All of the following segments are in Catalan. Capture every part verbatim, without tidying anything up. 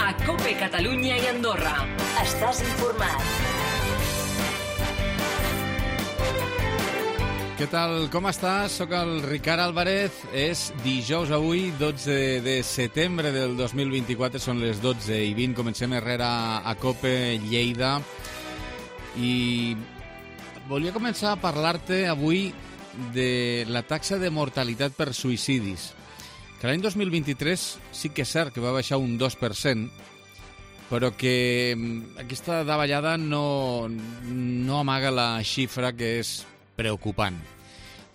a COPE Catalunya i Andorra. Estàs informat. Què tal? Com estàs? Soc el Ricard Álvarez. És dijous avui, dotze de setembre del dos mil vint-i-quatre. Són les dotze i vint. Comencem herrera a COPE Lleida. I volia començar a parlar-te avui de la taxa de mortalitat per suïcidis. Que l'any dos mil vint-i-tres sí que és cert que va baixar un dos per cent, però que aquesta davallada no, no amaga la xifra que és preocupant.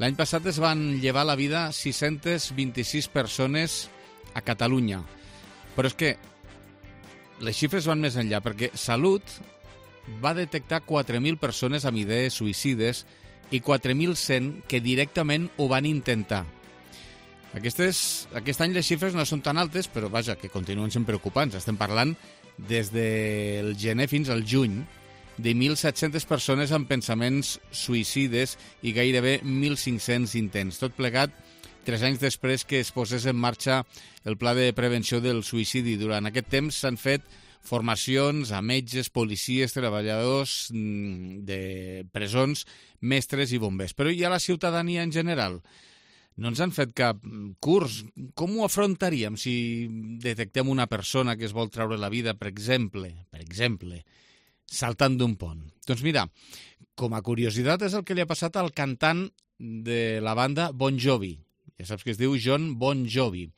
L'any passat es van llevar la vida sis-centes vint-i-sis persones a Catalunya. Però és que les xifres van més enllà, perquè Salut va detectar quatre mil persones amb idees suïcides i quatre mil cent que directament ho van intentar. Aquestes, aquest any les xifres no són tan altes, però vaja, que continuen sent preocupants. Estem parlant des del gener fins al juny de mil set-centes persones amb pensaments suïcides i gairebé mil cinc-cents intents. Tot plegat tres anys després que es posés en marxa el Pla de Prevenció del Suïcidi. Durant aquest temps s'han fet formacions a metges, policies, treballadors de presons, mestres i bombers. Però i a la ciutadania en general? No ens han fet cap curs. Com ho afrontaríem si detectem una persona que es vol treure la vida, per exemple, per exemple, saltant d'un pont? Doncs mira, com a curiositat és el que li ha passat al cantant de la banda Bon Jovi. Ja saps que es diu Jon Bon Jovi.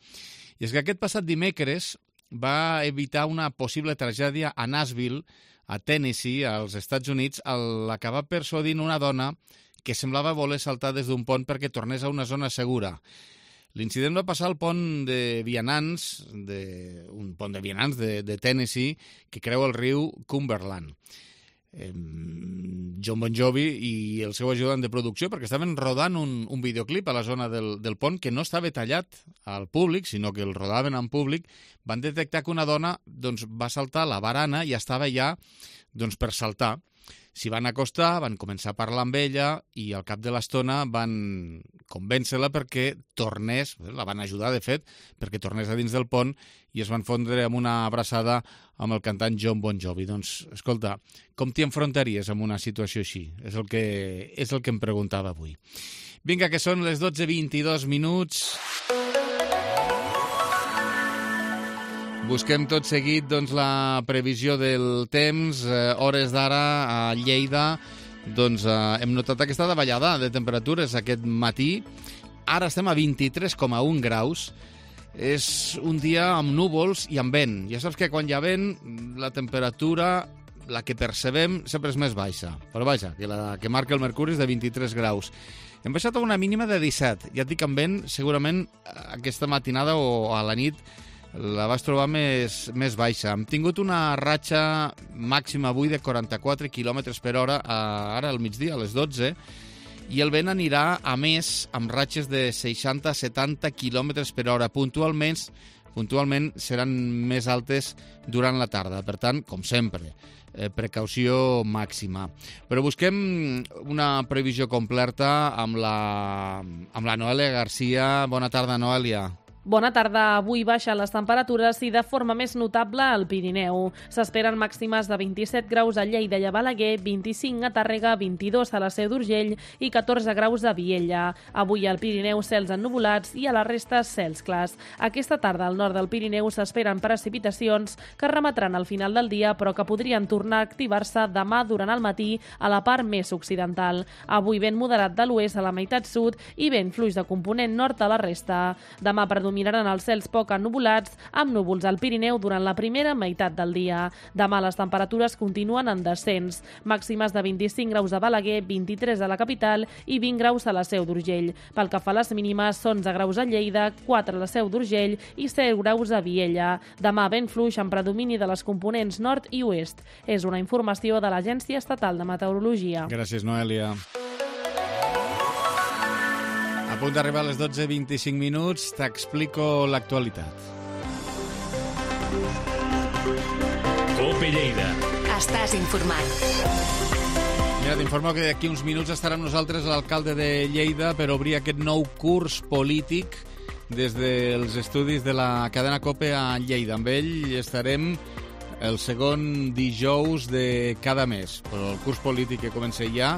I és que aquest passat dimecres va evitar una possible tragèdia a Nashville, a Tennessee, als Estats Units, al acabar persuadint una dona que semblava voler saltar des d'un pont perquè tornés a una zona segura. L'incident va passar al pont de vianants, de, un pont de vianants de, de Tennessee, que creua el riu Cumberland. Eh, Jon Bon Jovi i el seu ajudant de producció, perquè estaven rodant un, un videoclip a la zona del, del pont que no estava tallat al públic, sinó que el rodaven en públic, van detectar que una dona doncs, va saltar la barana i estava ja doncs, per saltar. S'hi van acostar, van començar a parlar amb ella i al cap de l'estona van convèncer-la perquè tornés, la van ajudar de fet, perquè tornés a dins del pont i es van fondre amb una abraçada amb el cantant Jon Bon Jovi. Doncs, escolta, com t'hi enfrontaries amb una situació així? És el que, és el que em preguntava avui. Vinga, que són les dotze vint-i-dos minuts. Busquem tot seguit doncs, la previsió del temps. Eh, hores d'ara a Lleida doncs, eh, hem notat aquesta davallada de temperatures aquest matí. Ara estem a vint-i-tres coma un graus. És un dia amb núvols i amb vent. Ja saps que quan hi ha vent la temperatura, la que percebem, sempre és més baixa. Però vaja, que la que marca el mercuri és de vint-i-tres graus. Hem baixat a una mínima de disset. Ja et dic, amb vent, segurament aquesta matinada o a la nit la vas trobar més, més baixa. Hem tingut una ratxa màxima avui de quaranta-quatre quilòmetres per hora a, ara al migdia, a les dotze, i el vent anirà a més amb ratxes de seixanta a setanta quilòmetres per hora. Puntualment, puntualment seran més altes durant la tarda. Per tant, com sempre, eh, precaució màxima. Però busquem una previsió completa amb la, amb la Noelia Garcia. Bona tarda, Noelia. Bona tarda. Avui baixen les temperatures i de forma més notable al Pirineu. S'esperen màximes de vint-i-set graus a Lleida i a Balaguer, vint-i-cinc a Tàrrega, vint-i-dos a la Seu d'Urgell i catorze graus a Viella. Avui al Pirineu cels ennuvolats i a la resta cels clars. Aquesta tarda al nord del Pirineu s'esperen precipitacions que remetran al final del dia però que podrien tornar a activar-se demà durant el matí a la part més occidental. Avui vent moderat de l'oest a la meitat sud i vent fluix de component nord a la resta. Demà predominaran els cels poc ennuvolats amb núvols al Pirineu durant la primera meitat del dia. Demà les temperatures continuen en descens. Màximes de vint-i-cinc graus a Balaguer, vint-i-tres a la capital i vint graus a la Seu d'Urgell. Pel que fa a les mínimes, onze graus a Lleida, quatre a la Seu d'Urgell i set graus a Viella. Demà vent fluix amb predomini de les components nord i oest. És una informació de l'Agència Estatal de Meteorologia. Gràcies, Noelia. A punt d'arribar a les dotze vint-i-cinc minuts, t'explico l'actualitat. COPE Lleida. Estàs informat. Mira, t'informo que d'aquí uns minuts estarà amb nosaltres l'alcalde de Lleida per obrir aquest nou curs polític des dels estudis de la cadena COPE a Lleida. Amb ell estarem el segon dijous de cada mes, però el curs polític que comença ja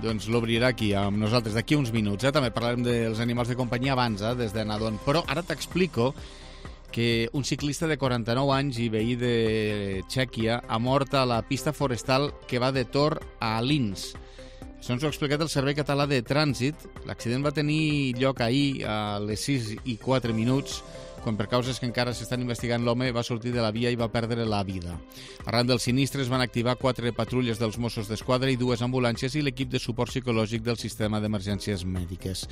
doncs l'obrirà aquí amb nosaltres d'aquí uns minuts. Eh? També parlarem dels animals de companyia abans, eh? des de Nadon. Però ara t'explico que un ciclista de quaranta-nou anys i veí de Txèquia ha mort a la pista forestal que va de Tor a Linz. Això ens ho ha explicat el Servei Català de Trànsit. L'accident va tenir lloc ahir a les sis i quatre minuts, quan per causes que encara s'estan investigant l'home va sortir de la via i va perdre la vida. Arran del sinistre es van activar quatre patrulles dels Mossos d'Esquadra i dues ambulàncies i l'equip de suport psicològic del sistema d'emergències mèdiques.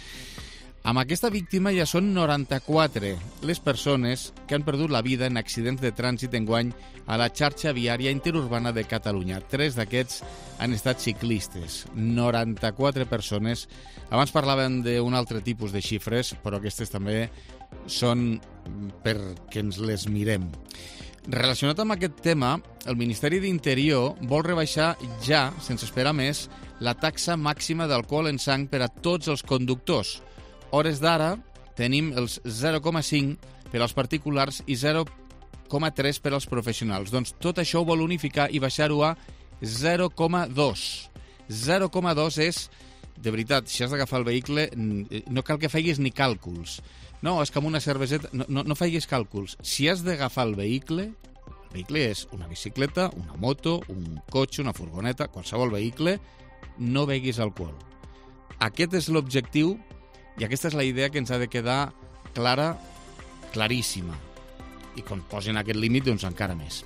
Amb aquesta víctima ja són noranta-quatre les persones que han perdut la vida en accidents de trànsit enguany a la xarxa viària interurbana de Catalunya. Tres d'aquests han estat ciclistes. noranta-quatre persones. Abans parlaven d'un altre tipus de xifres, però aquestes també són perquè ens les mirem. Relacionat amb aquest tema, el Ministeri d'Interior vol rebaixar ja, sense esperar més, la taxa màxima d'alcohol en sang per a tots els conductors. Hores d'ara tenim els zero coma cinc per als particulars i zero coma tres per als professionals. Doncs tot això ho vol unificar i baixar-ho a zero coma dos. zero coma dos és, de veritat, si has d'agafar el vehicle, no cal que facis ni càlculs. No, és que amb una cerveseta... No, no, no facis càlculs. Si has d'agafar el vehicle, el vehicle és una bicicleta, una moto, un cotxe, una furgoneta, qualsevol vehicle, no beguis alcohol. Aquest és l'objectiu i aquesta és la idea que ens ha de quedar clara, claríssima. I quan posen aquest límit, doncs encara més.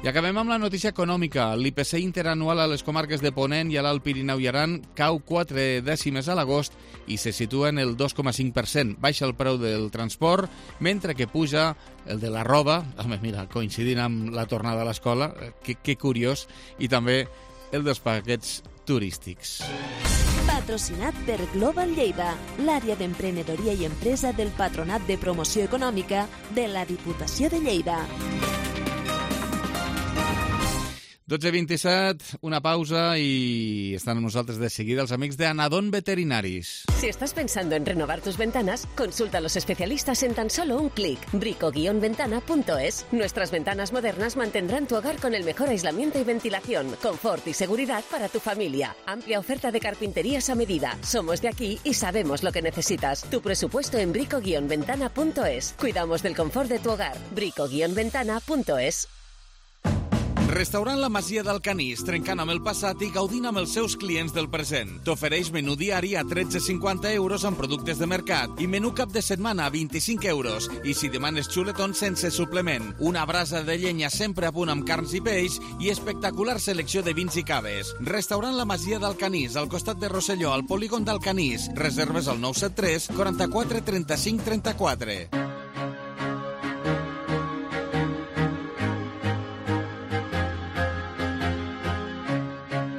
I acabem amb la notícia econòmica. L'I P C interanual a les comarques de Ponent i a l'Alt Pirineu i Aran cau quatre dècimes a l'agost i se situa en el dos coma cinc per cent. Baixa el preu del transport, mentre que puja el de la roba, home, mira, coincidint amb la tornada a l'escola, que, que curiós, i també el dels paquets turístics. Patrocinat per Global Lleida, l'àrea d'emprenedoria i empresa del Patronat de Promoció Econòmica de la Diputació de Lleida. dotze vint-i-set, una pausa i estan amb nosaltres de seguida els amics de Anadon Veterinaris. Si estás pensando en renovar tus ventanas, consulta a los especialistas en tan solo un clic. brico guion ventana punto es. Nuestras ventanas modernas mantendrán tu hogar con el mejor aislamiento y ventilación, confort y seguridad para tu familia. Amplia oferta de carpinterías a medida. Somos de aquí y sabemos lo que necesitas. Tu presupuesto en brico guion ventana punto es. Cuidamos del confort de tu hogar. brico guion ventana punto es. Restaurant La Masia d'Alcanís, trencant amb el passat i gaudint amb els seus clients del present. T'ofereix menú diari a tretze coma cinquanta euros amb productes de mercat i menú cap de setmana a vint-i-cinc euros. I si demanes xuletons sense suplement, una brasa de llenya sempre a punt amb carns i peix i espectacular selecció de vins i caves. Restaurant La Masia d'Alcanís, al costat de Rosselló, al polígon d'Alcanís. Reserves al nou set tres, quaranta-quatre, trenta-cinc, trenta-quatre.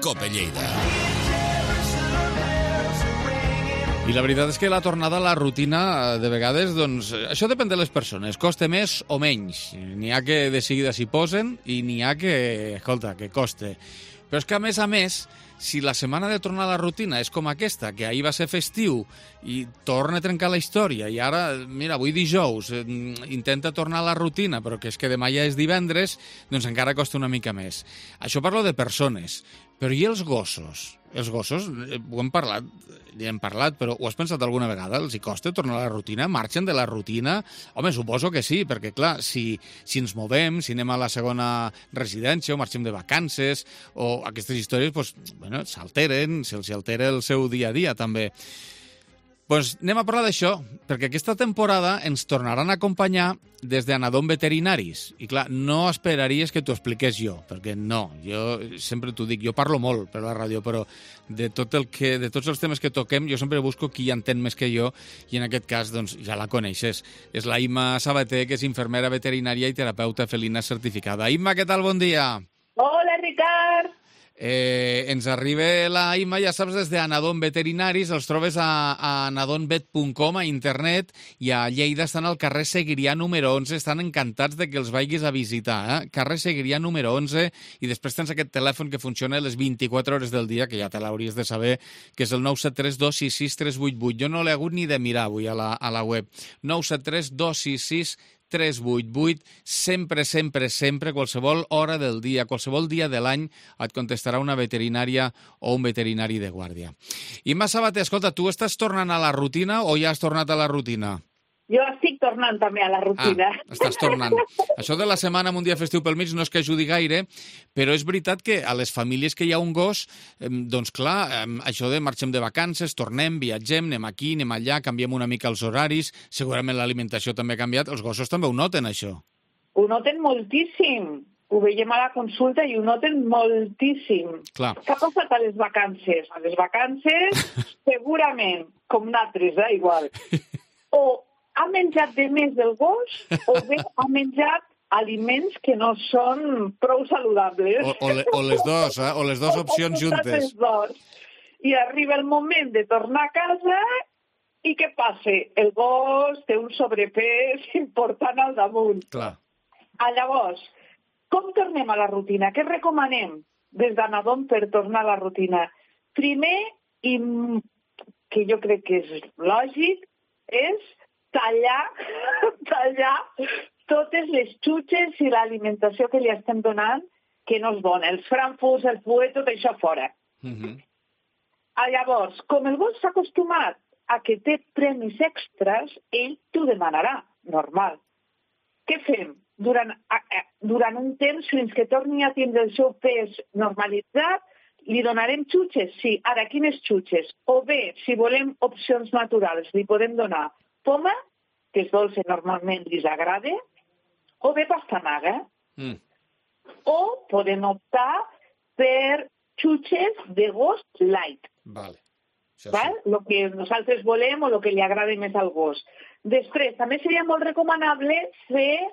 COPE Lleida. I la veritat és que la tornada a la rutina, de vegades, doncs, això depèn de les persones. Costa més o menys. N'hi ha que de seguida s'hi posen i n'hi ha que, escolta, que coste. Però és que, a més a més, si la setmana de tornar a la rutina és com aquesta, que ahir va ser festiu i torna a trencar la història, i ara, mira, avui dijous, eh, intenta tornar a la rutina, però que és que demà ja és divendres, doncs encara costa una mica més. Això parlo de persones. Però i els gossos? Els gossos, eh, ho hem parlat, hi hem parlat, però ho has pensat alguna vegada? Els hi costa tornar a la rutina? Marxen de la rutina? Home, suposo que sí, perquè, clar, si, si ens movem, si anem a la segona residència o marxem de vacances, o aquestes històries, doncs, bueno, s'alteren, se'ls altera el seu dia a dia, també. Doncs anem a parlar d'això, perquè aquesta temporada ens tornaran a acompanyar des d'Anadon Veterinaris. I clar, no esperaries que t'ho expliqués jo, perquè no, jo sempre t'ho dic, jo parlo molt per la ràdio, però de, tot el que, de tots els temes que toquem jo sempre busco qui entén més que jo, i en aquest cas doncs, ja la coneixes. És la Imma Sabater, que és infermera veterinària i terapeuta felina certificada. Imma, què tal? Bon dia. Hola, Ricard. Eh, ens arriba la Imma, ja saps, des d'Anadon Veterinaris, els trobes a, a anadonvet punt com a internet, i a Lleida estan al carrer Seguirià número onze, estan encantats de que els vagis a visitar, eh? Carrer Seguirià número onze, i després tens aquest telèfon que funciona les vint-i-quatre hores del dia, que ja te l'hauries de saber, que és el nou set tres dos sis sis tres vuit vuit. Jo no l'he hagut ni de mirar avui a la, a la web. nou set tres dos sis sis tres vuit vuit, sempre, sempre, sempre, qualsevol hora del dia, qualsevol dia de l'any, et contestarà una veterinària o un veterinari de guàrdia. Imma Sabater, escolta, tu estàs tornant a la rutina o ja has tornat a la rutina? Jo estic tornant també a la rutina. Ah, estàs tornant. Això de la setmana amb un dia festiu pel mig no és que ajudi gaire, però és veritat que a les famílies que hi ha un gos, doncs clar, això de marxem de vacances, tornem, viatgem, anem aquí, anem allà, canviem una mica els horaris, segurament l'alimentació també ha canviat, els gossos també ho noten, això. Ho noten moltíssim. Ho veiem a la consulta i ho noten moltíssim. Clar. Què ha passat a les vacances? A les vacances, segurament, com nosaltres, eh, igual. O ha menjat de més del gos o bé ha menjat aliments que no són prou saludables. O, o, le, o les dos, eh? O les dues opcions juntes. Les dos. I arriba el moment de tornar a casa i què passa? El gos té un sobrepès important al damunt. Clar. A llavors, com tornem a la rutina? Què recomanem des d'Anadon per tornar a la rutina? Primer, i que jo crec que és lògic, és tallar, tallar totes les xutxes i l'alimentació que li estem donant que no és bona. Els frankfurts, el fuet, tot això fora. Uh-huh. Llavors, com el gos s'ha acostumat a que té premis extras, ell t'ho demanarà, normal. Què fem? Durant, durant un temps, fins que torni a tindre el seu pes normalitzat, li donarem xutxes? Sí. Ara, quines xutxes? O bé, si volem opcions naturals, li podem donar poma, que és dolça, normalment li agrada, o bé pastanaga. Mm. O podem optar per xutxes de gos light. Vale. Això Val? sí. Lo que nosaltres volem o el que li agrada més al gos. Després, també seria molt recomanable fer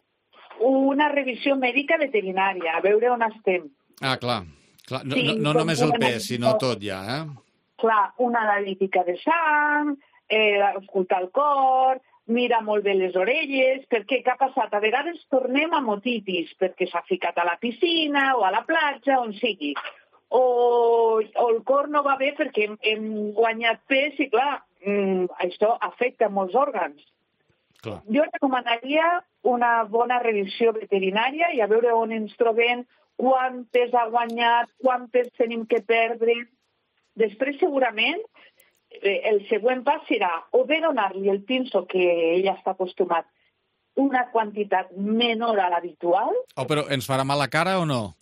una revisió mèdica veterinària, a veure on estem. Ah, clar. clar. No, Sí, no, no com només el una pes, sinó analítica. tot ja, eh? Clar, una analítica de sang, eh, escoltar el cor, mira molt bé les orelles, perquè què ha passat? A vegades tornem a motitis, perquè s'ha ficat a la piscina o a la platja, on sigui. O, o el cor no va bé perquè hem, hem guanyat pes i, clar, mm, això afecta molts òrgans. Clar. Jo recomanaria una bona revisió veterinària i a veure on ens trobem, quant pes ha guanyat, quant pes tenim que perdre. Després, segurament, el següent pas serà o bé donar-li el pinso que ell està acostumat una quantitat menor a l'habitual. Oh, però ens farà mal la cara o no?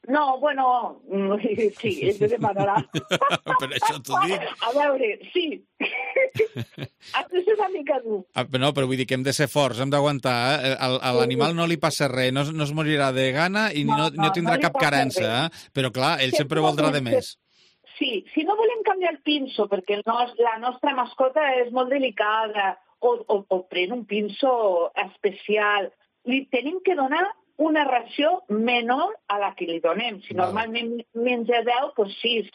No, bueno, sí, ell te demanarà. Per això t'ho dic. A veure, sí. Has de ser una mica dur. Ah, no, però vull dir que hem de ser forts, hem d'aguantar. Eh? A, a l'animal no li passa res, no, no es morirà de gana i no, no, no, no tindrà no cap carença. Eh? Però clar, ell sempre, sempre voldrà de més. Sí, si no volem canviar el pinso, perquè el nos, la nostra mascota és molt delicada, o, o, o pren un pinso especial, li tenim que donar una ració menor a la que li donem. Si normalment menja deu, doncs sis.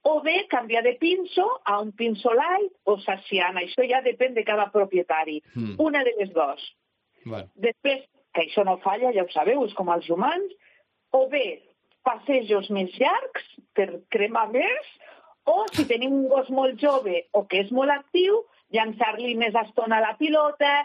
O bé canviar de pinso a un pinso light o saciant. Això ja depèn de cada propietari. Mm. Una de les dues. Bueno. Després, que això no falla, ja ho sabeu, és com els humans, o bé passejos més llargs per cremar més, o si tenim un gos molt jove o que és molt actiu, llançar-li més estona a la pilota,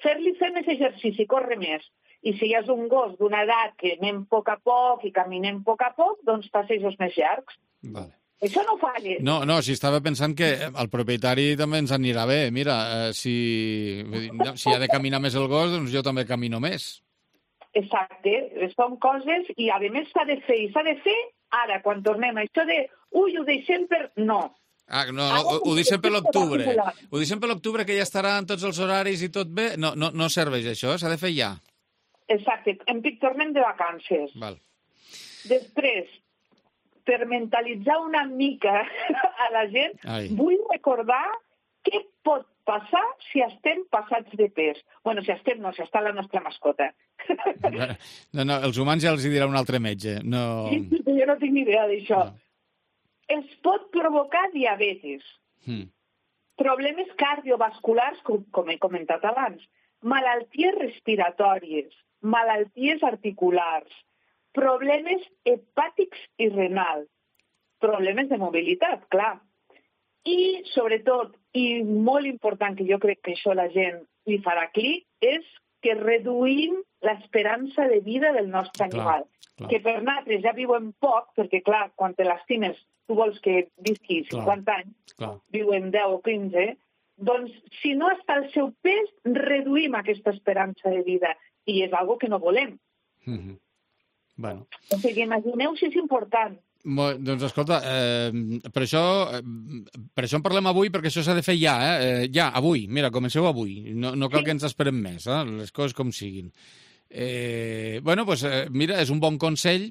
fer-li fer més exercici, córrer més. I si ja és un gos d'una edat que anem a poc a poc i caminem a poc a poc, doncs passejos més llargs. Vale. Això no falla. No, no, si estava pensant que al propietari també ens anirà bé. Mira, eh, si, si ha de caminar més el gos, doncs jo també camino més. Exacte, són coses i a més s'ha de fer, i s'ha de fer ara, quan tornem. Això de, ui, ho deixem per... No. Ah, no, no, ho, ho deixem per l'octubre. Ho deixem per l'octubre, que ja estaran tots els horaris i tot bé. No, no, no serveix això, s'ha de fer ja. Exacte, en pic tornem de vacances. Val. Després, per mentalitzar una mica a la gent, Ai. vull recordar què pot passar si estem passats de pes. Bueno, si estem, no, si està la nostra mascota. No, no, els humans ja els hi dirà un altre metge. No... Jo no tinc ni idea d'això. No. Es pot provocar diabetis, hmm. problemes cardiovasculars, com, com he comentat abans, malalties respiratòries, malalties articulars, problemes hepàtics i renals, problemes de mobilitat, clar. I, sobretot, i molt important, que jo crec que això la gent li farà clic, és que reduïm l'esperança de vida del nostre animal. Clar, clar. Que per nosaltres ja viuen poc, perquè, clar, quan te l'estimes, tu vols que visqui cinquanta clar, anys, clar. Viuen deu o quinze, doncs, si no està al seu pes, reduïm aquesta esperança de vida. I és algo que no volem. Mm-hmm. Bueno. O sigui, imagineu si és important. Molt, doncs escolta, eh, per, això, eh, per això en parlem avui, perquè això s'ha de fer ja, eh? Ja, avui. Mira, comenceu avui. No, no cal sí. que ens esperem més, eh? Les coses com siguin. Eh, bueno, doncs, eh, mira, és un bon consell.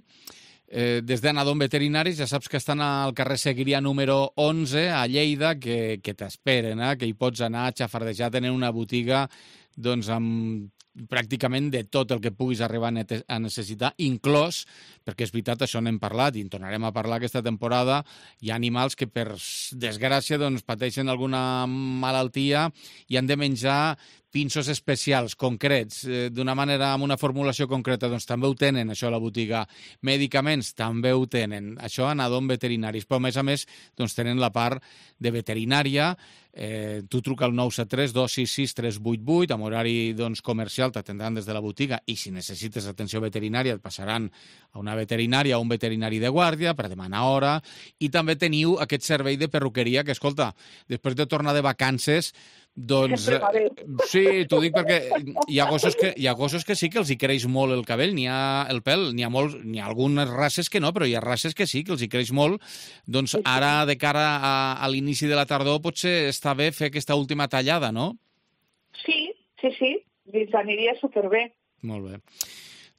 Eh, des d'Anadom Veterinaris, ja saps que estan al carrer Seguiria número onze, a Lleida, que, que t'esperen, eh? Que hi pots anar a xafardejar, tenen una botiga doncs, amb pràcticament de tot el que puguis arribar a necessitar, inclòs, perquè és veritat, això n'hem parlat i en tornarem a parlar aquesta temporada, hi ha animals que per desgràcia doncs, pateixen alguna malaltia i han de menjar pinços especials, concrets, eh, d'una manera, amb una formulació concreta, doncs també ho tenen, això a la botiga. Medicaments també ho tenen, això a Anadom Veterinaris, però a més a més doncs, tenen la part de veterinària. Eh, tu truca al nou set tres dos sis sis tres vuit vuit, amb horari doncs, comercial, t'atendran des de la botiga, i si necessites atenció veterinària et passaran a una veterinària o un veterinari de guàrdia per demanar hora, i també teniu aquest servei de perruqueria que, escolta, després de tornar de vacances, doncs, sí, t'ho dic perquè hi ha gossos que, hi ha gossos que sí que els hi creix molt el cabell, n'hi ha el pèl, n'hi ha, molt, n'hi ha algunes races que no, però hi ha races que sí, que els hi creix molt. Doncs ara, de cara a, a l'inici de la tardor, potser està bé fer aquesta última tallada, no? Sí, sí, sí, ens aniria superbé. Molt bé.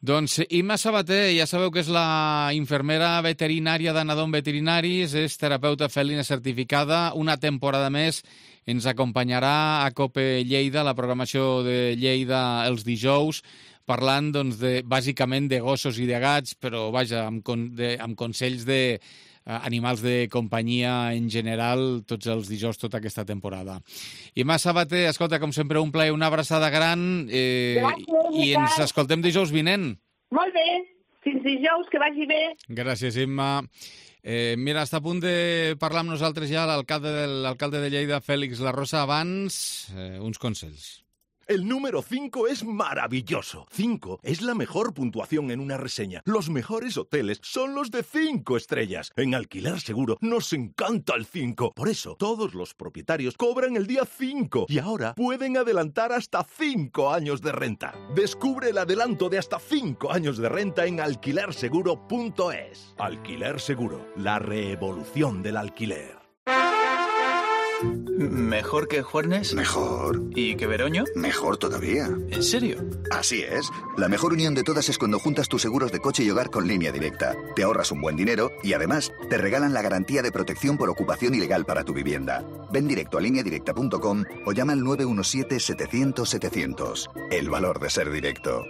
Doncs Imma Sabater, ja sabeu que és la infermera veterinària d'Anadom Veterinaris, és terapeuta felina certificada, una temporada més ens acompanyarà a COPE Lleida, la programació de Lleida els dijous, parlant doncs, de, bàsicament de gossos i de gats, però vaja, amb, con, de, amb consells de uh, animals de companyia en general, tots els dijous, tota aquesta temporada. Imma Sabater, escolta, com sempre, un plaer, una abraçada gran, eh, Gràcies, i ens escoltem dijous vinent. Molt bé, fins dijous, que vagi bé. Gràcies, Imma. Eh, mira, està a punt de parlar amb nosaltres ja l'alcalde de, l'alcalde de Lleida, Félix La Rosa. Abans, eh, uns consells. El número cinco es maravilloso. cinco es la mejor puntuación en una reseña. Los mejores hoteles son los de cinco estrellas. En Alquiler Seguro nos encanta el cinco. Por eso, todos los propietarios cobran el día cinco y ahora pueden adelantar hasta cinco años de renta. Descubre el adelanto de hasta cinco años de renta en alquiler seguro punto es. Alquiler Seguro, la revolución del alquiler. ¿Mejor que Juernes? Mejor. ¿Y que Veroño? Mejor todavía. ¿En serio? Así es. La mejor unión de todas es cuando juntas tus seguros de coche y hogar con Línea Directa. Te ahorras un buen dinero y además te regalan la garantía de protección por ocupación ilegal para tu vivienda. Ven directo a línea directa punto com o llama al nueve uno siete setecientos setecientos. El valor de ser directo.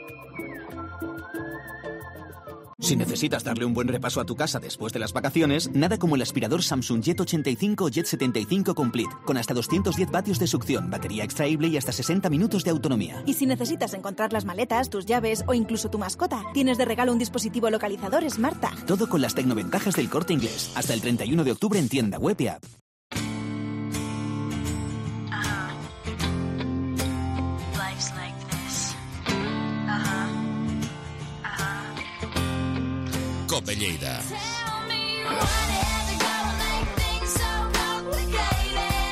Si necesitas darle un buen repaso a tu casa después de las vacaciones, nada como el aspirador Samsung Jet ochenta y cinco o Jet setenta y cinco Complete, con hasta doscientos diez vatios de succión, batería extraíble y hasta sesenta minutos de autonomía. Y si necesitas encontrar las maletas, tus llaves o incluso tu mascota, tienes de regalo un dispositivo localizador SmartTag. Todo con las tecnoventajas del Corte Inglés. Hasta el treinta y uno de octubre en tienda web y app. COPE Lleida.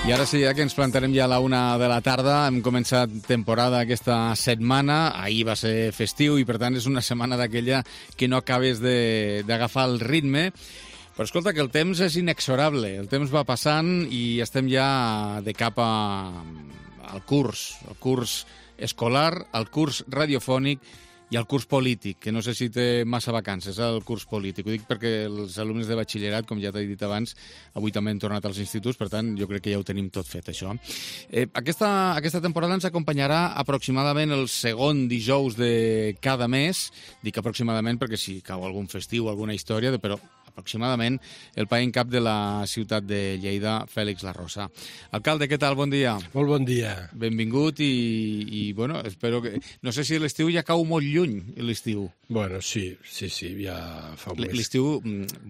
I ara sí, ja que ens plantarem ja a la una de la tarda, hem començat temporada aquesta setmana, ahir va ser festiu i per tant és una setmana d'aquella que no acabes d'agafar el ritme, però escolta que el temps és inexorable, el temps va passant i estem ja de cap a, al curs, el curs escolar, el curs radiofònic i el curs polític, que no sé si té massa vacances, el curs polític. Ho dic perquè els alumnes de batxillerat, com ja t'he dit abans, avui també han tornat als instituts, per tant, jo crec que ja ho tenim tot fet, això. Eh, aquesta, aquesta temporada ens acompanyarà aproximadament el segon dijous de cada mes. Dic aproximadament perquè si cau algun festiu, alguna història, però aproximadament el país en cap de la ciutat de Lleida, Fèlix Larrosa. Alcalde, què tal? Bon dia. Molt bon dia. Benvingut i, i bueno, espero que... No sé si l'estiu ja cau molt lluny, l'estiu. Bueno, sí, sí, sí, ja fa un mes. L'estiu,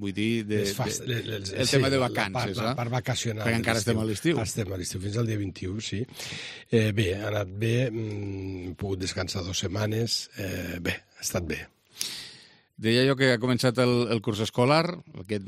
vull dir, de, fast, de, les, el sí, tema de vacances, la, la, la part vacacional. Perquè encara estem a l'estiu. Estem a l'estiu, fins al dia vint-i-u, sí. Eh, bé, ha anat bé, hem pogut descansar dues setmanes, eh, bé, ha estat bé. Deia jo que ha començat el, el curs escolar. Aquest,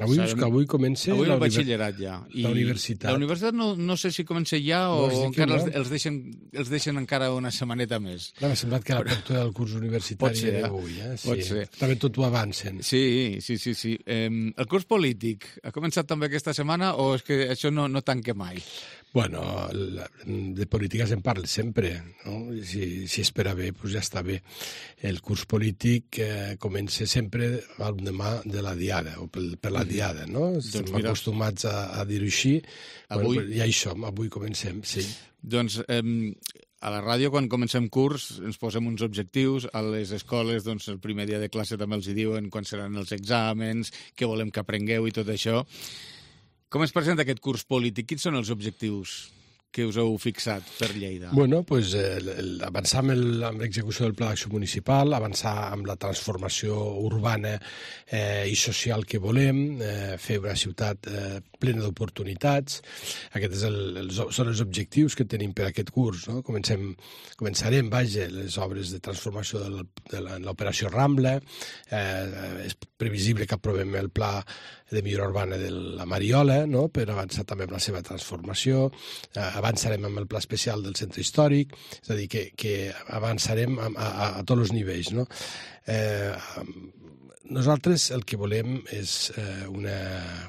avui, sabem, avui comença avui el batxillerat ja. I la universitat. La universitat no, no sé si comença ja o no, encara els, els, deixen, els deixen encara una setmaneta més. M'ha semblat que l'apertura del curs universitari ser, era avui. Eh? Sí. Pot ser. També tot ho avancen. Sí, sí, sí. sí. Eh, el curs polític ha començat també aquesta setmana o és que això no, no tanca mai? Bueno, de política se'n parla sempre, no? Si, si es espera bé, doncs ja està bé. El curs polític eh, comença sempre al demà de la diada, o per, per la diada, no? Doncs Estem mira, acostumats a, a dir-ho així. Avui... Bueno, ja hi som, avui comencem, sí. Doncs eh, a la ràdio, quan comencem curs, ens posem uns objectius. A les escoles, doncs, el primer dia de classe també els hi diuen quan seran els exàmens, què volem que aprengueu i tot això. Com es presenta aquest curs polític? Quins són els objectius que us heu fixat per Lleida? Bueno, pues, eh, avançar amb l'execució del Pla d'Acció Municipal, avançar amb la transformació urbana eh, i social que volem, eh, fer una ciutat eh, plena d'oportunitats. Aquests el, els, són els objectius que tenim per aquest curs. No? Comencem, començarem, vaja, les obres de transformació del, de l'operació Rambla. Eh, és previsible que aprovem el Pla de millora urbana de la Mariola, no? Per avançar també amb la seva transformació. Eh, avançarem amb el pla especial del centre històric, és a dir, que, que avançarem a, a, a tots els nivells, no? Eh, nosaltres el que volem és eh, una,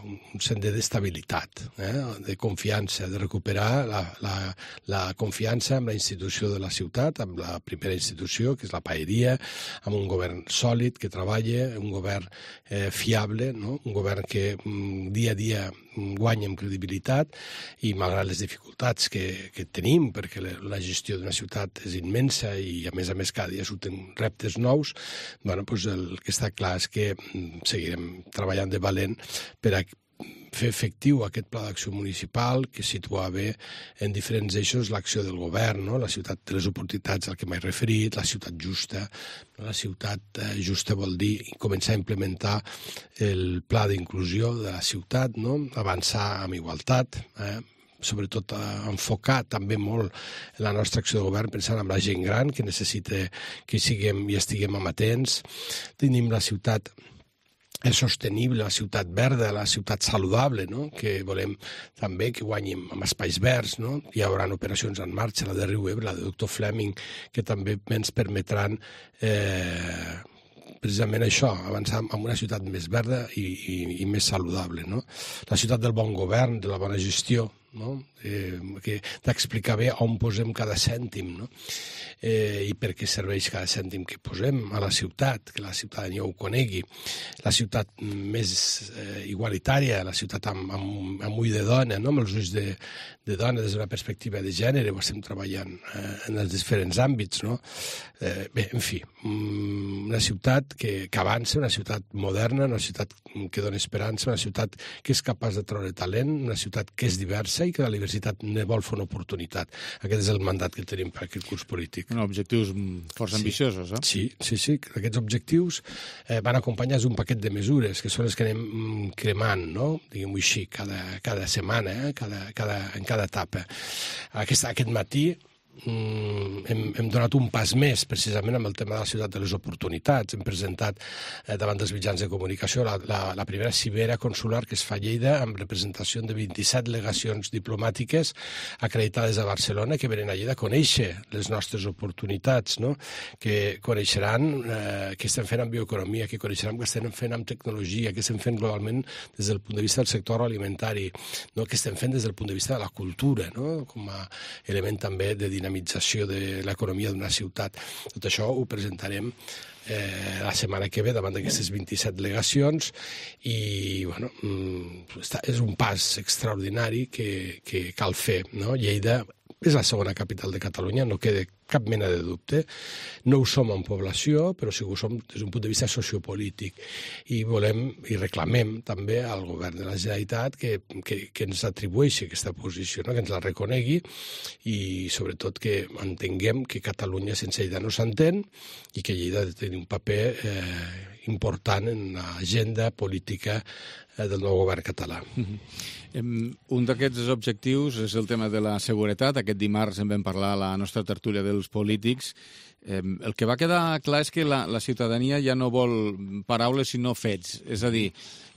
un sender d'estabilitat, eh, de confiança, de recuperar la, la, la confiança amb la institució de la ciutat, amb la primera institució, que és la paeria, amb un govern sòlid que treballa, un govern eh, fiable, no? Un govern que mm, dia a dia guanya en credibilitat i malgrat les dificultats que, que tenim, perquè la gestió d'una ciutat és immensa i a més a més cada dia surten reptes nous, bueno, doncs el que està clar és que seguirem treballant de valent per a fer efectiu aquest pla d'acció municipal que situava en diferents eixos l'acció del govern, no? La ciutat de les oportunitats al que m'he referit, la ciutat justa. La ciutat eh, justa vol dir començar a implementar el pla d'inclusió de la ciutat, no? Avançar amb igualtat, eh? sobretot a enfocar també molt la nostra acció de govern pensant en la gent gran que necessita que siguem i estiguem amatents. Tenim la ciutat és sostenible, la ciutat verda, la ciutat saludable, no? Que volem també que guanyem amb espais verds, no? Hi haurà operacions en marxa, la de Riu Ebre, la de doctor Fleming, que també ens permetran eh, precisament això, avançar en una ciutat més verda i, i, i més saludable, no? La ciutat del bon govern, de la bona gestió, no? Eh, que d'explicar bé on posem cada cèntim, no? Eh, i per què serveix cada cèntim que posem a la ciutat, que la ciutadania ho conegui. La ciutat més eh, igualitària, la ciutat amb, amb, amb ull de dona, no? Amb els ulls de, de dona des d'una perspectiva de gènere, ho estem treballant eh, en els diferents àmbits, no? Eh, bé, en fi, una ciutat que, que avança, una ciutat moderna, una ciutat que dona esperança, una ciutat que és capaç de treure talent, una ciutat que és diversa i que la diversitat ne vol fer una oportunitat. Aquest és el mandat que tenim per aquest curs polític. No, objectius força sí. ambiciosos, eh? Sí, sí, sí. Aquests objectius eh, van acompanyats d'un paquet de mesures, que són les que anem cremant, no? Diguem-ho així, cada, cada setmana, eh? cada, cada, en cada etapa. Aquest, aquest matí Mm, hem, hem donat un pas més precisament amb el tema de la ciutat de les oportunitats. Hem presentat eh, davant dels mitjans de comunicació la, la, la primera cimera consular que es fa a Lleida amb representació de vint-i-set legacions diplomàtiques acreditades a Barcelona que venen a Lleida a conèixer les nostres oportunitats, no? Que coneixeran eh, què estem fent amb bioeconomia, que coneixeran què estem fent amb tecnologia, què estem fent globalment des del punt de vista del sector alimentari, no? Què estem fent des del punt de vista de la cultura, no? Com a element també de dinamització de l'economia d'una ciutat. Tot això ho presentarem eh, la setmana que ve davant d'aquestes vint-i-set delegacions i bueno, està, és un pas extraordinari que, que cal fer. No? Lleida és la segona capital de Catalunya, no queda cap mena de dubte. No ho som en població, però sí que ho som des d'un punt de vista sociopolític. I volem i reclamem també al govern de la Generalitat que, que, que ens atribueixi aquesta posició, no? Que ens la reconegui i sobretot que entenguem que Catalunya sense Lleida no s'entén i que Lleida ha de tenir un paper eh, important en l'agenda política eh, del nou govern català. Mm-hmm. Un d'aquests objectius és el tema de la seguretat. Aquest dimarts en vam parlar a la nostra tertúlia dels polítics. El que va quedar clar és que la, la ciutadania ja no vol paraules sinó fets. És a dir,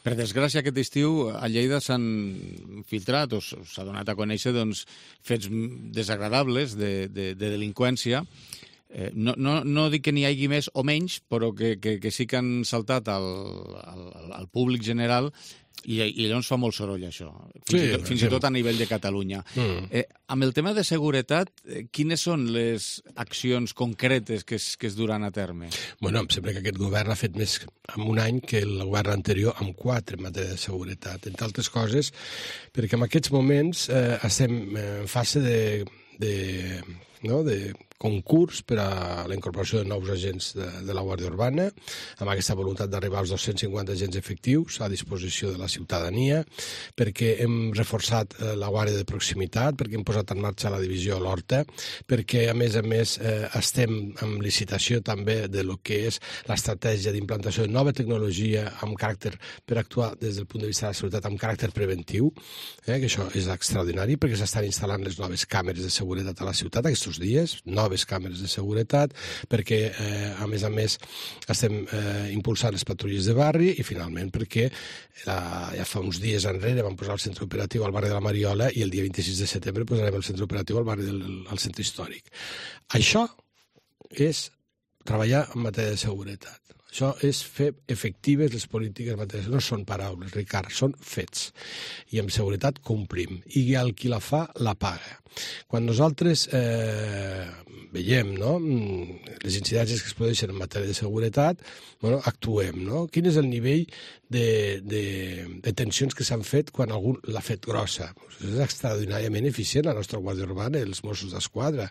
per desgràcia aquest estiu a Lleida s'han filtrat o s'ha donat a conèixer doncs, fets desagradables de, de, de delinqüència. Eh, no, no, no dic que n'hi hagi més o menys, però que, que, que sí que han saltat al, al, al públic general i, i llavors fa molt soroll això, fins, sí, i, tot, fins sí. i tot a nivell de Catalunya. Mm. Eh, amb el tema de seguretat, eh, quines són les accions concretes que es, que es duran a terme? Bueno, em sembla que aquest govern ha fet més en un any que el govern anterior amb quatre en matèria de seguretat, entre altres coses, perquè en aquests moments eh, estem en fase de, de, no, de concurs per a la incorporació de nous agents de, de la Guàrdia Urbana, amb aquesta voluntat d'arribar als dos-cents cinquanta agents efectius a disposició de la ciutadania, perquè hem reforçat eh, la Guàrdia de proximitat, perquè hem posat en marxa la divisió a l'Horta, perquè, a més a més, eh, estem en licitació també de lo que és l'estratègia d'implantació de nova tecnologia amb caràcter per actuar des del punt de vista de la seguretat amb caràcter preventiu, eh, que això és extraordinari, perquè s'estan instal·lant les noves càmeres de seguretat a la ciutat aquests dies, noves càmeres de seguretat, perquè, eh, a més a més, estem eh, impulsant les patrulles de barri i, finalment, perquè la, ja fa uns dies enrere vam posar el centre operatiu al barri de la Mariola i el dia vint-i-sis de setembre posarem el centre operatiu al barri del al centre històric. Això és treballar en matèria de seguretat. Això és fer efectives les polítiques en matèria de seguretat. No són paraules, Ricard, són fets. I amb seguretat complim. I el qui la fa, la paga. Quan nosaltres eh, veiem no, les incidències que es produeixen en matèria de seguretat, bueno, actuem. No? Quin és el nivell de, de, de tensions que s'han fet quan algú l'ha fet grossa? Pues és extraordinàriament eficient la nostra Guàrdia Urbana i els Mossos d'Esquadra.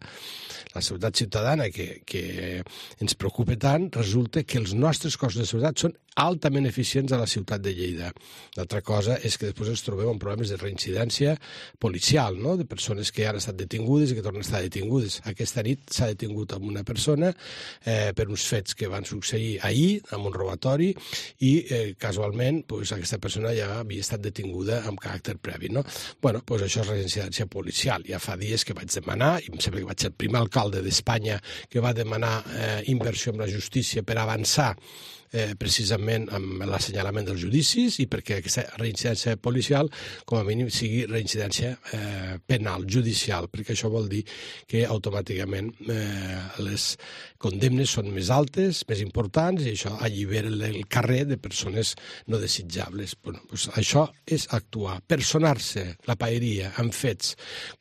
La seguretat ciutadana que, que ens preocupa tant, resulta que els nostres cossos de seguretat són altament eficients a la ciutat de Lleida. L'altra cosa és que després ens trobem amb problemes de reincidència policial, no? De persones que han estat detingudes i que tornen a estar detingudes. Aquesta nit s'ha detingut amb una persona eh, per uns fets que van succeir ahir, amb un robatori, i eh, casualment pues, aquesta persona ja havia estat detinguda amb caràcter previ. No? Bueno, pues això és reincidència policial. Ja fa dies que vaig demanar, i em sembla que vaig ser el primer alcalde d'Espanya que va demanar eh, inversió en la justícia per avançar Eh, precisament amb l'assenyalament dels judicis i perquè aquesta reincidència policial com a mínim sigui reincidència eh, penal, judicial, perquè això vol dir que automàticament eh, les condemnes són més altes, més importants, i això allibera el carrer de persones no desitjables. Bueno, doncs això és actuar, personar-se la paeria amb fets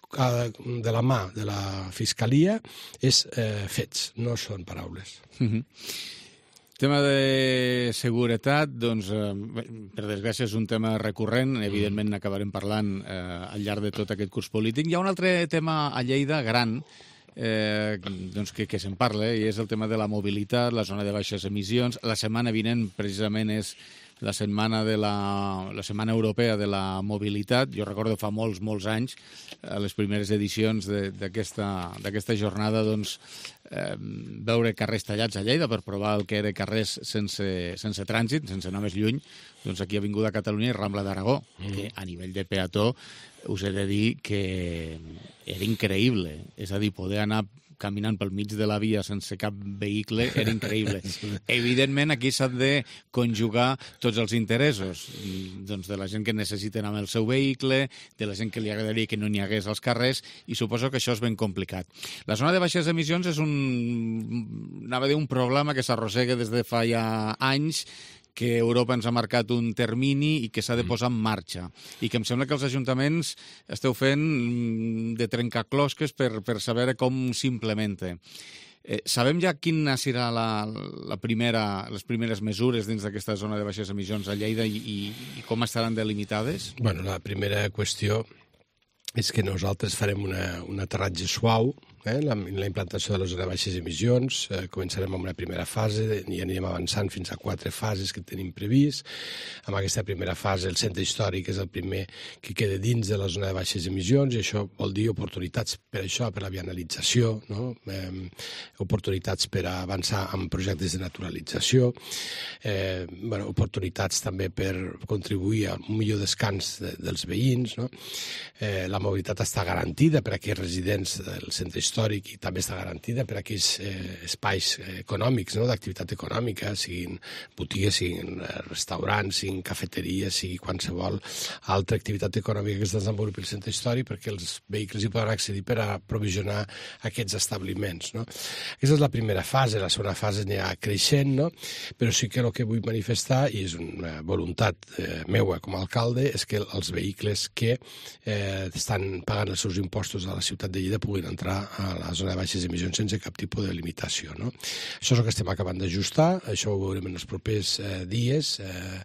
de la mà de la Fiscalia és eh, fets, no són paraules. Mm-hmm. Tema de seguretat, doncs, eh, per desgràcia és un tema recurrent, evidentment n'acabarem parlant eh, al llarg de tot aquest curs polític. Hi ha un altre tema a Lleida gran eh, doncs que, que se'n parla, i és el tema de la mobilitat, la zona de baixes emissions. La setmana vinent, precisament, és la setmana, de la, la setmana europea de la mobilitat. Jo recordo fa molts, molts anys, a les primeres edicions d'aquesta jornada, doncs, eh, veure carrers tallats a Lleida per provar el que era carrers sense, sense trànsit, sense anar més lluny, doncs aquí a Avinguda Catalunya i Rambla d'Aragó, mm. que a nivell de peató us he de dir que era increïble. És a dir, poder anar caminant pel mig de la via sense cap vehicle era increïble. Evidentment, aquí s'han de conjugar tots els interessos, doncs de la gent que necessita anar amb el seu vehicle, de la gent que li agradaria que no n'hi hagués als carrers, i suposo que això és ben complicat. La zona de baixes emissions és un, anava a dir, un problema que s'arrossega des de fa ja anys, que Europa ens ha marcat un termini i que s'ha de posar en marxa. I que em sembla que els ajuntaments esteu fent de trencaclosques per, per saber com s'implementa. Eh, sabem ja quina serà la, la primera, les primeres mesures dins d'aquesta zona de baixes emissions a Lleida i, i, i com estaran delimitades? Bueno, la primera qüestió és que nosaltres farem una, un aterratge suau, eh, la, la implantació de les zones de baixes emissions. Eh, començarem amb una primera fase i anirem avançant fins a quatre fases que tenim previst. En aquesta primera fase el centre històric és el primer que queda dins de la zona de baixes emissions i això vol dir oportunitats per això, per la vianalització, no? eh, oportunitats per avançar en projectes de naturalització, eh, bueno, oportunitats també per contribuir a un millor descans de, dels veïns, no? eh, la mobilitat està garantida per a aquells residents del centre històric i també està garantida per a aquells eh, espais econòmics, no? d'activitat econòmica, siguin botigues, siguin restaurants, siguin cafeteries, sigui qualsevol altra activitat econòmica que es desenvolupi al centre històric, perquè els vehicles hi poden accedir per a provisionar aquests establiments. No? Aquesta és la primera fase, la segona fase anirà creixent, no? Però sí que el que vull manifestar, i és una voluntat eh, meua com a alcalde, és que els vehicles que eh, estan pagant els seus impostos a la ciutat de Lleida puguin entrar a la zona de baixes emissions sense cap tipus de limitació. No? Això és el que estem acabant d'ajustar, això ho veurem en els propers eh, dies. Eh,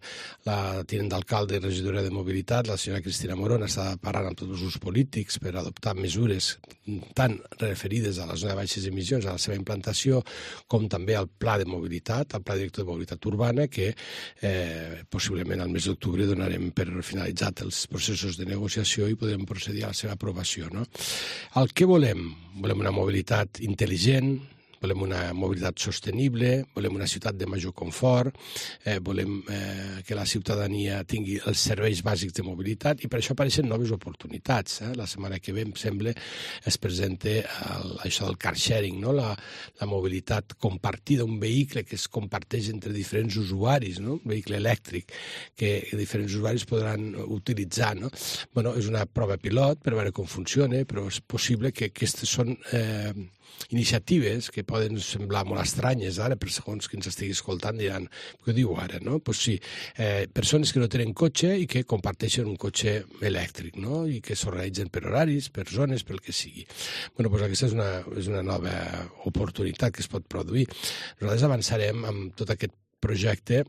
la tinent d'alcalde i regidora de mobilitat, la senyora Cristina Morón, està parlant amb tots els grups polítics per adoptar mesures tant referides a la zona de baixes emissions, a la seva implantació, com també al pla de mobilitat, al pla director de mobilitat urbana, que eh, possiblement al mes d'octubre donarem per finalitzat els processos de negociació i podrem procedir a la seva aprovació. No? El que volem? Volem una mobilitat intel·ligent, volem una mobilitat sostenible, volem una ciutat de major confort, eh, volem eh, que la ciutadania tingui els serveis bàsics de mobilitat i per això apareixen noves oportunitats. Eh? La setmana que ve, em sembla, es presenta el, això del car sharing, no? la, la mobilitat compartida, un vehicle que es comparteix entre diferents usuaris, no? Un vehicle elèctric que diferents usuaris podran utilitzar. No? Bueno, és una prova pilot per veure com funciona, però és possible que aquestes són eh, iniciatives que poden semblar molt estranyes ara, per segons qui ens estigui escoltant diran, què diu ara, no? Pues sí, eh, persones que no tenen cotxe i que comparteixen un cotxe elèctric, no? I que s'organitzen per horaris, per zones, pel que sigui. Bueno, pues aquesta és una, és una nova oportunitat que es pot produir. Nosaltres avançarem amb tot aquest projecte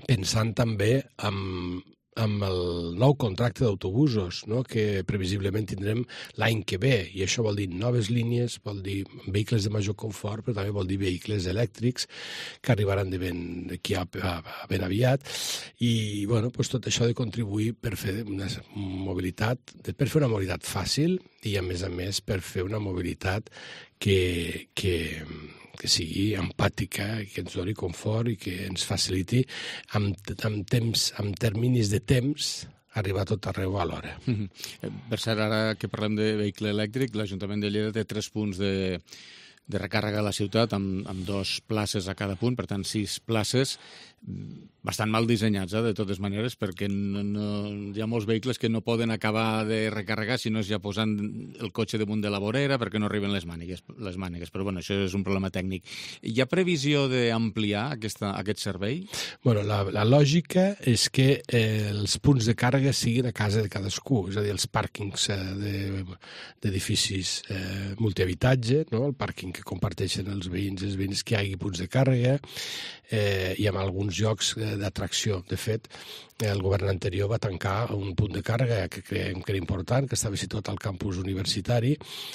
pensant també en amb el nou contracte d'autobusos, no? que previsiblement tindrem l'any que ve, i això vol dir noves línies, vol dir vehicles de major confort, però també vol dir vehicles elèctrics que arribaran de ben, d'aquí a, a, a ben aviat, i bueno, pues tot això ha de contribuir per fer una mobilitat, per fer una mobilitat fàcil i a més a més per fer una mobilitat que, que que sigui empàtica, que ens doni confort i que ens faciliti amb, amb, temps, amb terminis de temps arribar a tot arreu a l'hora. Mm-hmm. Per cert, ara que parlem de vehicle elèctric, l'Ajuntament de Lleida té tres punts de, de recàrrega a la ciutat amb, amb dos places a cada punt, per tant sis places, bastant mal dissenyats, eh, de totes maneres, perquè no, no, hi ha molts vehicles que no poden acabar de recarregar si no és ja posant el cotxe damunt de la vorera perquè no arriben les mànigues, les mànigues. Però bueno, això és un problema tècnic. Hi ha previsió d'ampliar aquesta, aquest servei? Bueno, la, la lògica és que eh, els punts de càrrega siguin a casa de cadascú, és a dir, els pàrquings eh, d'edificis eh, multihabitatge, no? El pàrquing que comparteixen els veïns, els veïns que hi hagi punts de càrrega, eh, i amb alguns llocs d'atracció. De fet, el govern anterior va tancar un punt de càrrega que creiem que era important, que estava situat al campus universitari,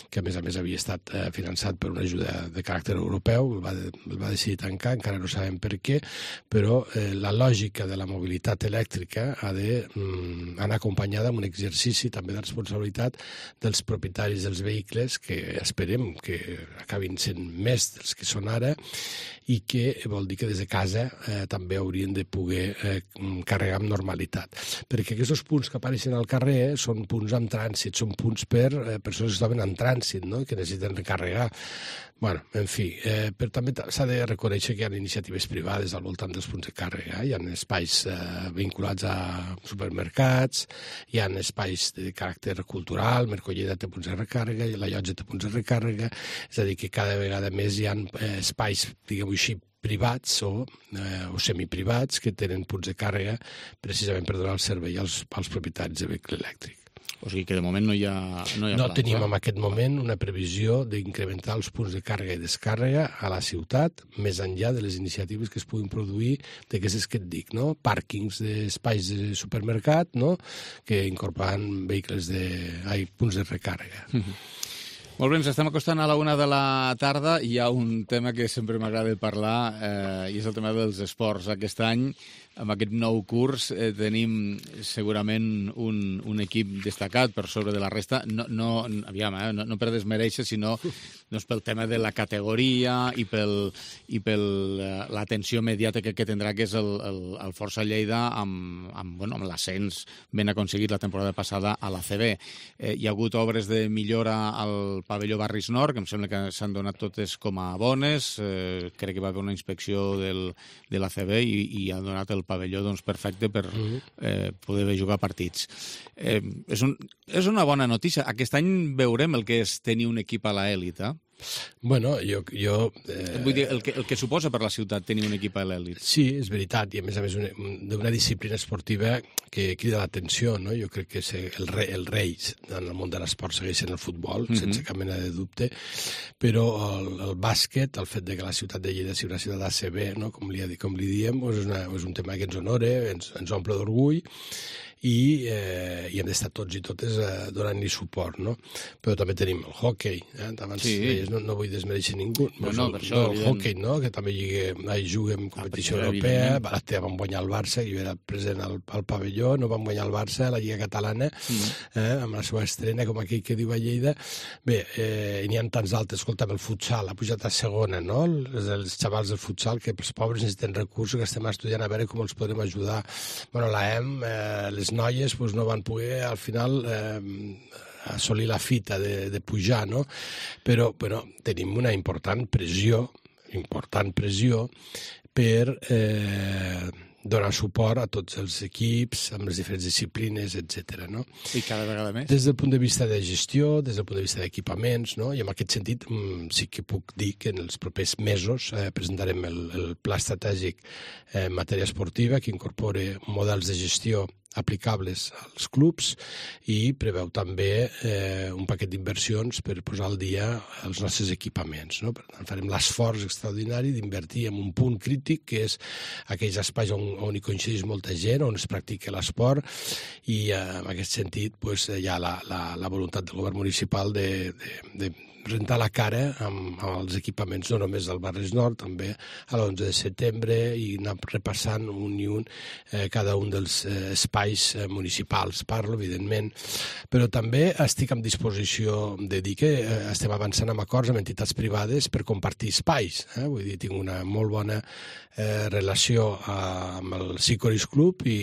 que a més a més havia estat eh, finançat per una ajuda de caràcter europeu, el va, el va decidir tancar, encara no sabem per què, però eh, la lògica de la mobilitat elèctrica ha d'anar mm, acompanyada amb un exercici també de responsabilitat dels propietaris dels vehicles, que esperem que acabin sent més dels que són ara, i que vol dir que des de casa eh, també haurien de poder eh, carregar amb normalitat. Perquè aquests punts que apareixen al carrer són punts amb trànsit, són punts per eh, persones que es troben en trànsit, no? Que necessiten recarregar. Bueno, en fi, eh, però també s'ha de reconèixer que hi ha iniciatives privades al voltant dels punts de càrrega. Hi ha espais eh, vinculats a supermercats, hi ha espais de caràcter cultural, Mercolleda té punts de recàrrega, la Llotja té punts de recàrrega, és a dir, que cada vegada més hi ha eh, espais, diguem-ho així, privats o, eh, o semiprivats que tenen punts de càrrega precisament per donar el servei als, als propietaris de vehicle elèctric. O sigui que de moment no hi ha, no hi ha No plans, tenim eh? en aquest moment una previsió d'incrementar els punts de càrrega i descàrrega a la ciutat, més enllà de les iniciatives que es puguin produir d'aquestes que et dic, no? Pàrquings d'espais de supermercat, no? Que incorporen vehicles de... ai, punts de recàrrega. Mm-hmm. Molt bé, ens estem acostant a la una de la tarda. Hi ha un tema que sempre m'agrada parlar eh, i és el tema dels esports. Aquest any, amb aquest nou curs, eh, tenim segurament un, un equip destacat per sobre de la resta. No, no, aviam, eh, no, no per desmereixer, sinó doncs, pel tema de la categoria i pel, i pel eh, l'atenció mediàtica que tindrà, que és el, el, el Força Lleida amb, amb, bueno, amb l'ascens ben aconseguit la temporada passada a l'A C B. Eh, hi ha hagut obres de millora al pavelló Barris Nord, que em sembla que s'han donat totes com a bones. Eh, crec que va haver una inspecció del, de l'A C B i, i ha donat el pavelló doncs, perfecte per eh, poder jugar partits. Eh, és, un, és una bona notícia. Aquest any veurem el que és tenir un equip a l'elit, eh? Bueno, jo... jo eh... Vull dir, el que, el que suposa per la ciutat tenir un equip a l'elit. Sí, és veritat, i a més a més d'una disciplina esportiva que crida l'atenció, no? Jo crec que el rei, el rei en el món de l'esport segueix sent el futbol, mm-hmm. sense cap mena de dubte, però el, el bàsquet, el fet de que la ciutat de Lleida sigui una ciutat A C B, no? com, li, com li diem, és, una, és un tema que ens honora, ens, ens omple d'orgull, i, eh, i hem d'estar tots i totes eh, donant-li suport, no? Però també tenim el hockey, eh? Abans sí. deies, no, no vull desmereixer ningú, no, no, el, per això, no, el hockey, no? Que també lligue, juga en competició ah, europea, Balatea vam guanyar el Barça, jo era present al, al pavelló, no vam guanyar el Barça, la Lliga Catalana, mm. eh, amb la seva estrena, com aquell que diu a Lleida. Bé, eh, n'hi ha tants altres, escolta'm, el futsal, ha pujat a segona, no? Els, els xavals del futsal, que els pobres necessiten recursos, que estem estudiant a veure com els podrem ajudar. Bueno, la E M, eh, les noies pues, no van poder al final eh, assolir la fita de, de pujar, no? Però, però tenim una important pressió, important pressió per eh, donar suport a tots els equips, amb les diferents disciplines, etcètera. No? I cada vegada més? Des del punt de vista de gestió, des del punt de vista d'equipaments, no? I en aquest sentit mm, sí que puc dir que en els propers mesos eh, presentarem el, el pla estratègic eh, en matèria esportiva que incorpora models de gestió aplicables als clubs i preveu també eh, un paquet d'inversions per posar al dia els nostres equipaments. No? Per tant, farem l'esforç extraordinari d'invertir en un punt crític, que és aquells espais on, on hi coincideix molta gent, on es practica l'esport, i eh, en aquest sentit pues, hi ha la, la, la voluntat del govern municipal de, de, de rentar la cara amb, amb els equipaments, no només del Barris Nord, també a l'onze de setembre, i anar repassant un i un eh, cada un dels eh, espais eh, municipals. Parlo, evidentment, però també estic en disposició de dir que eh, estem avançant amb acords amb entitats privades per compartir espais. Eh? Vull dir, tinc una molt bona eh, relació eh, amb el Sicoris Club i,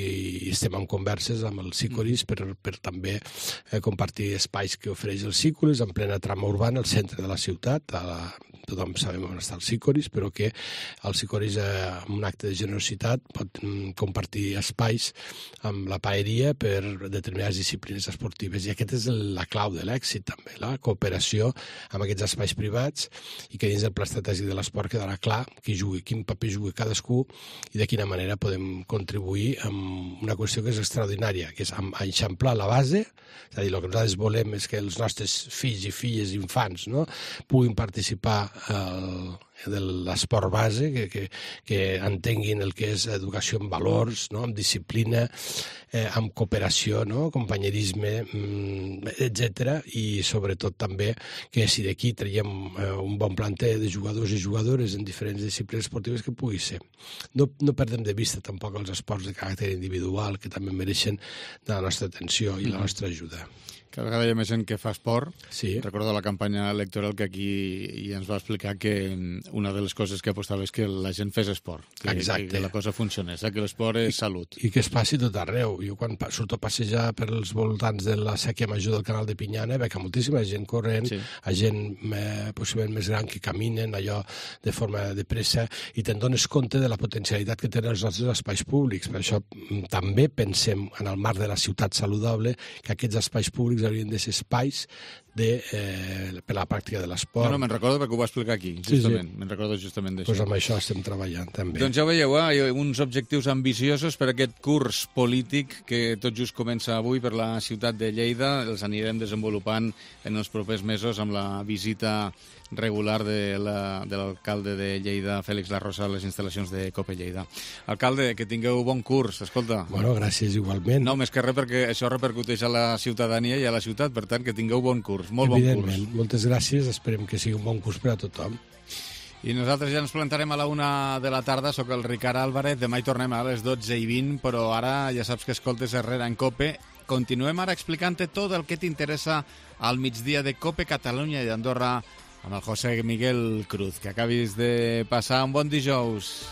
i estem en converses amb el Sicoris per, per també eh, compartir espais que ofereix el Sicoris en plena trama urbana, el centre de la ciutat, a la, tothom sabem on està el Sicoris, però que el Sicoris, eh, amb un acte de generositat, pot mm, compartir espais amb la paeria per determinades disciplines esportives. I aquesta és la clau de l'èxit, també, la cooperació amb aquests espais privats, i que dins del pla estratègic de l'esport quedarà clar qui jugui, quin paper jugui cadascú i de quina manera podem contribuir amb una qüestió que és extraordinària, que és eixamplar la base, és a dir, el que nosaltres volem és que els nostres fills i filles, infants, no? puguin participar el, de l'esport base, que, que, que entenguin el que és educació en valors, no? amb disciplina, eh, amb cooperació, no? companyerisme, etcètera. I sobretot també que si d'aquí traiem eh, un bon planter de jugadors i jugadores en diferents disciplines esportives, que pugui ser. No, no perdem de vista tampoc els esports de caràcter individual, que també mereixen la nostra atenció i la nostra ajuda. Cada vegada hi ha més gent que fa esport. Sí. Recordo la campanya electoral que aquí ja ens va explicar que una de les coses que apostava és que la gent fes esport. Que, Exacte. Que la cosa funcionés, eh? Que l'esport és salut. I que es passi tot arreu. Jo quan surto a passejar per els voltants de la sèquia major del canal de Pinyana veig moltíssima gent corrent, sí. a gent eh, possiblement més gran que caminen allò de forma de pressa, i te'n dones compte de la potencialitat que tenen els nostres espais públics. Per això també pensem en el marc de la ciutat saludable que aquests espais públics haurien de ser espais de, eh, per la pràctica de l'esport. No, no, me'n recordo perquè ho va explicar aquí, justament. Sí, sí. Me'n recordo justament d'això. Doncs pues amb això estem treballant, també. Doncs ja ho veieu, eh? Hi ha uns objectius ambiciosos per aquest curs polític que tot just comença avui per la ciutat de Lleida. Els anirem desenvolupant en els propers mesos amb la visita regular de l'alcalde de Lleida, Fèlix Larrosa, a les instal·lacions de Cope Lleida. Alcalde, que tingueu bon curs, escolta. Bueno, gràcies igualment. No, més que res perquè això repercuteix a la ciutadania i a la ciutat, per tant, que tingueu bon curs, molt bon curs. Evidentment, moltes gràcies, esperem que sigui un bon curs per a tothom. I nosaltres ja ens plantarem a la una de la tarda, soc el Ricard Álvarez, demà hi tornem a les dotze i vint, però ara ja saps que escoltes Herrera en Cope. Continuem ara explicant-te tot el que t'interessa al migdia de Cope Catalunya i Andorra amb el José Miguel Cruz. Que acabis de passar un bon dijous.